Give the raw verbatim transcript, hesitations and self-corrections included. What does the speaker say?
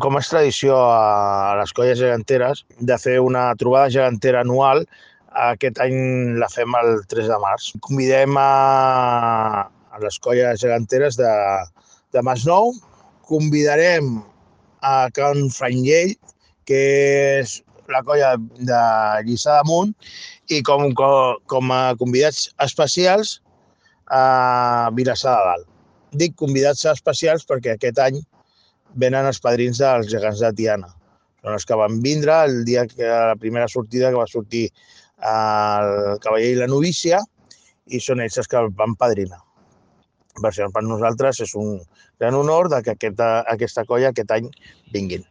Com és tradició a les colles geganteres de fer una trobada gegantera anual, aquest any la fem el tres de març. Convidem a, a les colles geganteres de, de Masnou, convidarem a Can Franyell, que és la colla de Lliçà d'Amunt, i com, com, com a convidats especials a Vilassar de Dalt. Dic convidats especials perquè aquest any venen els padrins dels gegants de Tiana. Són els que van vindre el dia que la primera sortida que va sortir el cavaller i la novícia, i són ells els que van padrinar. Per això per nosaltres és un gran honor que aquesta, aquesta colla aquest any vinguin.